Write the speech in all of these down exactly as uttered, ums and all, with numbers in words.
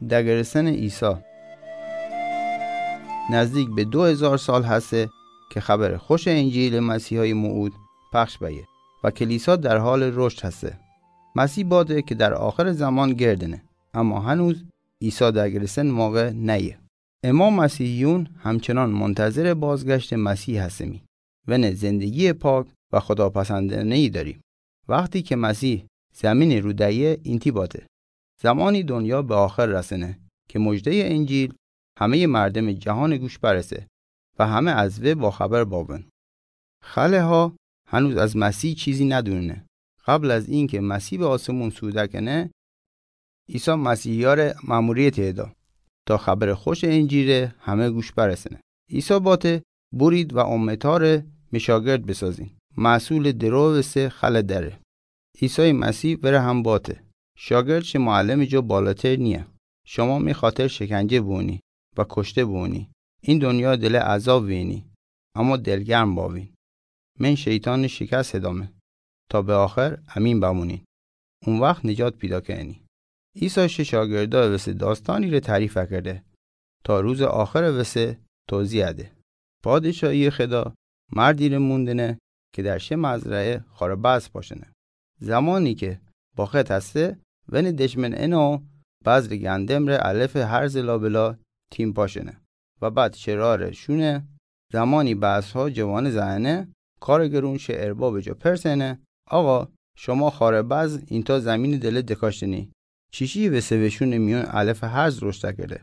دگرسنٚ عیسی. نزدیک به دو هیزار سال هسه که خبرٚ خوشٚ انجیلٚ مسیحای موعود پخش بأیه و کلیسا در حالٚ رشد هسه. مسیح باته که در آخرٚ زمان گردنه، اما هنوز عیسی دگرسنٚ موقع نأیه. اما مسیحیون همچنان منتظرٚ بازگشتٚ مسیح هستیمی. ونه زندگیٚ پاک و خداپسندأنه‌یی دأریم. وختی که مسیح زمینٚ رو دأیه، اینطی باته: زمانی دنیا به آخر رسنه که مژده‌یٚ انجیل همه‌یٚ مردمٚ جهانٚ گوش برسه و همه از وی باخبر بأبن. خله‌ها هنوز از مسیح چیزی ندوننه. قبل از اینکه مسیح به آسمون صعود کنه، عیسی مسیحی‌یأره مأموریت ایدا تا خبرٚ خوشٚ انجیل همه گوش برسنه. عیسی باته: بورید و امت‌یأره می شاگرد بسازین. محصولٚ درو وسه خله دره. عیسی مسیح وره هم باته: شاگرد شه معلمٚ جا بالاتر نییه. شما می خاطر شکنجه بونی و کشته بونی. این دنیا دله عذاب وینی، اما دلگرم بأوین. من شیطانٚ شکست هدمه تا به آخر امین بمونین. او وخت نجات پیدا کنی. عیسی شه شاگردأ وسه داستانی‌ره تعریف کرده تا روزٚ آخرٚ وسه توضیح ده. پادشاهیٚ خدا مردی‌ره مون دنه که در شه مزرعه خارٚ بذر پاشنه. زمانی که باخت هسه، ونه دشمن انه و بذرٚ گندمٚ ره علفٚ هرزٚ لابلا تیم پاشنه و بعد شرارٚ شونه. زمانی بذرها جوانه زأیأنه، کارٚ گرون شه اربابٚ جا پرسنه: آقا، شما خارٚ بذر اینطا زمینٚ دله دکاشتنی، چیشی وسه وشونٚ میون علفٚ هرز رشد کرده؟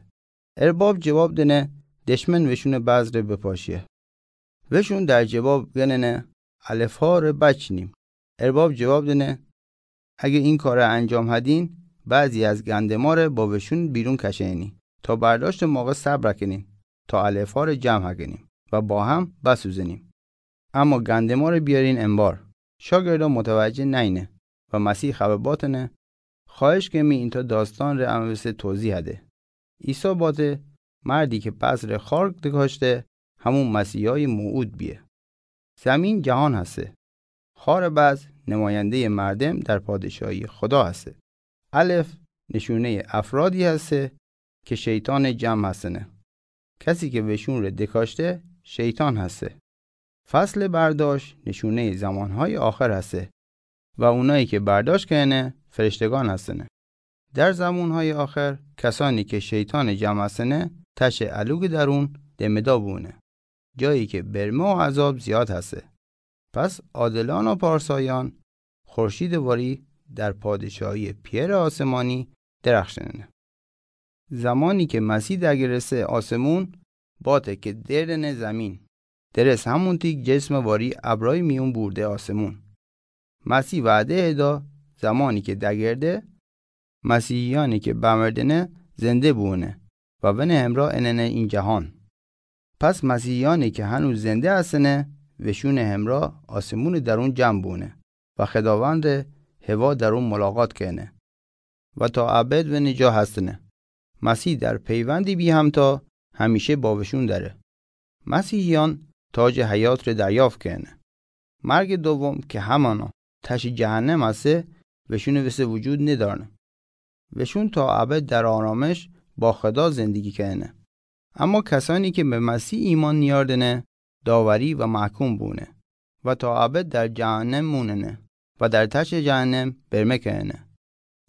ارباب جواب دنه: دشمن وشونٚ بذرٚ بپاشیه. وشون در جواب گننه: علفهاره بچینیم. ارباب جواب دنه: اگه این کاره انجام هدین، بعضی از گندماره با وشون بیرون کشه‌نی تا برداشتٚ موقع صبر کنین تا علفهاره جمع کنیم و با هم بسوزنیم. اما گندماره بیارین انبار. شاگردا متوجه نأینه و مسیح خبر باتنه: خواهش کمی اینطا داستانٚ ره امه وسه توضیح ده. عیسی باته: مردی که بذرٚ خار دکاشته، همون مسیحای موعود بیه. زمین جهان هسه. خارٚ بذر نماینده‌یٚ مردم در پادشاهیٚ خدا هسه. علف نشونه‌یٚ افرادی هسه که شیطانٚ جمع هسنه. کسی که وشونٚ ره دکاشته، شیطان هسه. فصلٚ برداشت نشونه‌یٚ زمانهایٚ آخر هسه و اونایی که برداشت کنه، فرشتگان هسنه. در زمانهایٚ آخر، کسانی که شیطانٚ جمع هسنه، تشٚ الوگٚ درون دمدا بونه، جایی که برمه و عذاب زیاد هسه. پس عادلان و پارسایان خورشیدٚ واری در پادشاهیٚ پئرٚ آسمانی درخشنه. زمانی که مسیح دگرسه آسمون، باته که دردنه زمین. درس همونتی جسمٚ واری ابرای میون بورده آسمون. مسیح وعده ایدا زمانی که دگرده، مسیحیانی که بمردنه زنده بوونه و ونه همراه اننه این جهان. پس مسیحیانی که هنوز زنده هستنه، وشونٚ همراه آسمونٚ درون جمع بوونه و خداوندٚ هوا درون ملاقات کنه و تا ابد ونٚ جا هستنه. مسیح در پیوندی بی‌همتا همیشه با وشون دره. مسیحیان تاجٚ حیات ره دریافت کنه. مرگٚ دوم که همانا تشٚ جهنم هسه، وشونٚ وسه وجود ندارنه. وشون تا ابد در آرامش با خدا زندگی کنه. اما کسانی که به مسیح ایمان نیاردنه، داوری و محکوم بونه و تا ابد در جهنم موننه و در تشٚ جهنم برمه کنه.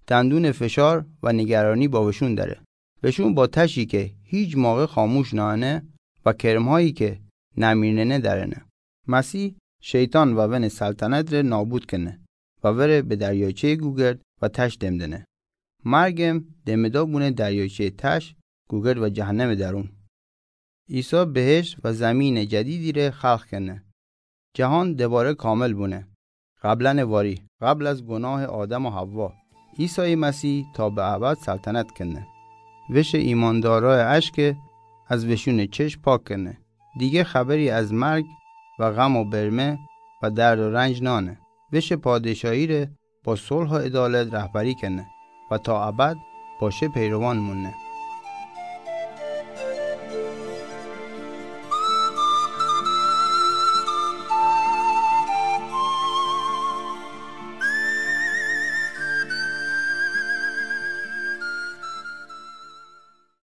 دندونٚ فشار و نگرانی با وشون دره. وشون با تشی که هیچ موقع خاموش نأنه و کرمهایی که نمیرنه درنه. مسیح شیطان و ونٚ سلطنت ره نابود کنه و وره به دریاچه‌یٚ گوگرد و تش دم دنه. مرگم دمدا بونه دریاچه‌یٚ تش، گوگرد و جهنمٚ درون. عیسی بهشت و زمینٚ جدیدی ره خلق کنه. جهان دوباره کامل بونه. قبلاً واری، قبل از گناهٚ آدم و حوا، عیسی مسیح تا به ابد سلطنت کنه. وشٚ ایماندارای اشکه از وشونٚ چشم پاک کنه. دیگه خبری از مرگ و غم و برمه و درد و رنج نأنه. وشٚ پادشاهی ره با صلح و عدالت رهبری کنه و تا ابد با شه پیروان مونه.